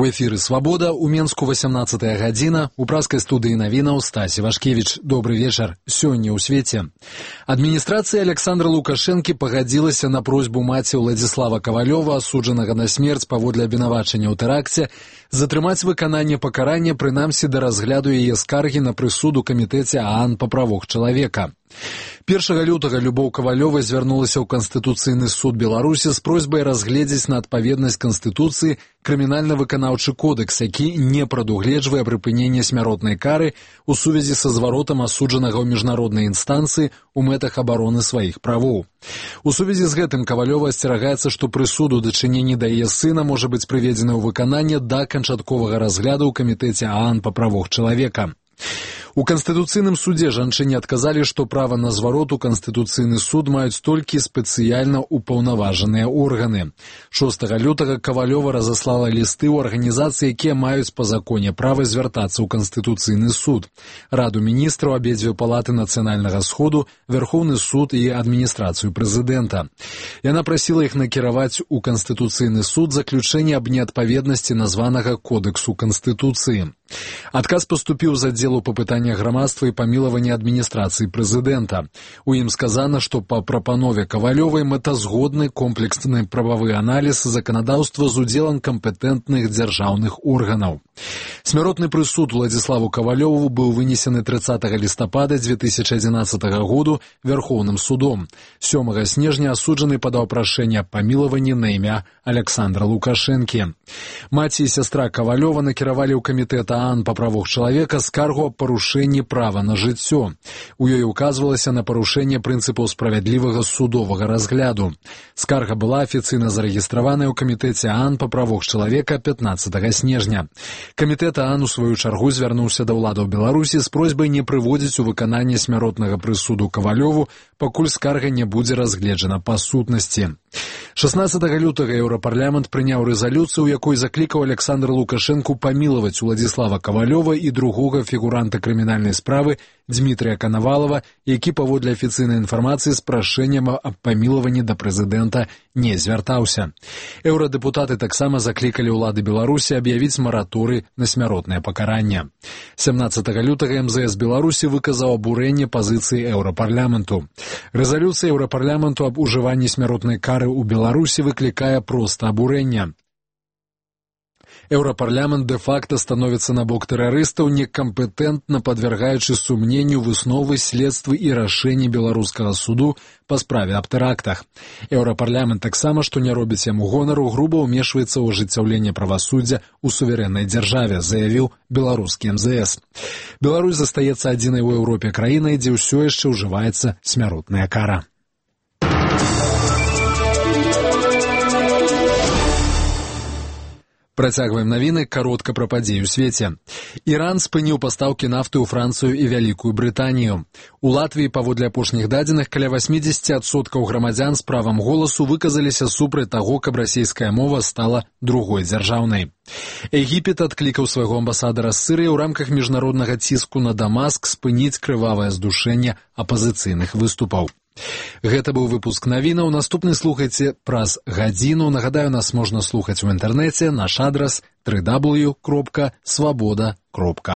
У эфіры «Свабода», у Менску 18-я гадзіна, у праскай студыі навінаў Стасі Вашкевіч. Добры вечар. Сёння ў свеце. Адміністрацыя Александра Лукашэнкі пагадзілася на просьбу маці Владзіслава Кавалёва, асуджанага на смерць паводле абвінавачання ў тэракце, затрымаць выкананне пакарання, прынамсі да разгляду яе скаргі на прысуд у камітэце ААН па правах чалавека. 1 лютага Любоў Кавалёва звярнулася ў Канстытуцыйны суд Беларусі з просьбай разгледзець на адпаведнасць Канстытуцыі крымінальна-выканаўчы кодэкс, які не прадугледжвае прыпыненне смяротнай кары у сувязі са зваротам асуджанага ў міжнароднай інстанцыі у мэтах абароны сваіх правоў. У сувязі з гэтым Кавалёва асцерагаецца, што прысуд у дачыненні да яе сына можа быць прыведзены ў выкананне да канчатковага разгляду ў камітэце ААН па правах чалавека. У Канстытуцыйным судзе жанчыне адказалі, што права на зварот у Канстытуцыйны суд маюць толькі спецыяльна ўпаўнаважаныя органы. 6 лютага Кавалёва разаслала лісты ў арганізацыі, якія маюць па законе права звяртацца ў Канстытуцыйны суд. Раду міністраў, абедзве палаты нацыянальнага сходу, Вярхоўны суд і адміністрацыю прэзідэнта. Яна прасіла іх накіраваць у Канстытуцыйны суд заключэнне аб неадпаведнасці названага Кодэксу Канстытуцыі. Адказ паступіў з аддзелу па пытаннях грамадства і памілавання адміністрацыі прэзідэнта. У ім сказана, што па прапанове Кавалёвай мэтазгодны комплексны прававы аналіз заканадаўства з удзелам кампетэнтных дзяржаўных органаў. Смяротны прысуд Владзіславу Кавалёву быў вынесены 30 лістапада 2011 году Вярхоўным судом. 7 снежня асуджаны падаў прашэнне аб памілаванні на імя Александра Лукашэнкі. Маці і сястра Кавалёва накіравалі ў камітэт ААН па правах чалавека скаргу аб парушэнні права на жыццё. У ёй указвалася на парушэнне прынцыпаў справядлівага судовага разгляду. Скарга была афіцыйна зарэгістраваная ў камітэце ААН па правах чалавека 15 снежня. Камітэт ААН у сваю чаргу звярнуўся да ўладаў Беларусі з просьбай не прыводзіць у выкананне смяротнага прысуду Кавалёву, пакуль скарга не будзе разгледжана па сутнасці. 16 лютага Еўрапарламент прыняў рэзалюцыю, у якой заклікаў Александра Лукашэнку памілаваць Владзіслава Кавалёва і другога фігуранта крымінальнай справы Дмітрыя Канавалава, які паводле афіцыйнай інфармацыі з прашэннем аб памілаванні да прэзідэнта не звяртаўся. Еўрадэпутаты таксама заклікалі ўлады Беларусі аб'явіць мараторый на смяротнае пакаранне. 17 лютага МЗС Беларусі выказаў абурэнне пазіцыі Еўрапарламенту. Рэзалюцыя Еўрапарламенту аб ужыванні смяротнай кары ў Беларусі выклікае проста абурэнне. Еўрапарламент дэ-факта становіцца на бок тэрарыстаў, некампетэнтна падвяргаючы сумненню высновы, следствы і рашэнні беларускага суду па справе аб тэрактах. Еўрапарламент таксама, што не робіць яму гонару, груба ўмешваецца ў ажыццяўленне правасуддзя ў суверэннай дзяржаве, заявіў беларускі МЗС. Беларусь застаецца адзінай у Еўропе краінай, дзе ўсё яшчэ ўжываецца смяротная кара. Працягваем навіны, каротка пра падзеі ў свеце. Іран спыніў пастаўкі нафты ў Францыю і Вялікую Брытанію. У Латвіі, паводле апошніх дадзеных, каля 80% грамадзян з правам голасу выказаліся супраць таго, каб расійская мова стала другой дзяржаўнай. Егіпет адклікаў свайго амбасадара з Сірыі ў рамках міжнароднага ціску на Дамаск спыніць крывавае здушэнне апазіцыйных выступаў. Гэта быў выпуск навінаў. Наступны слухайце праз гадзіну. Нагадаю, нас можна слухаць у інтэрнэце. Наш адрас www.swaboda.com.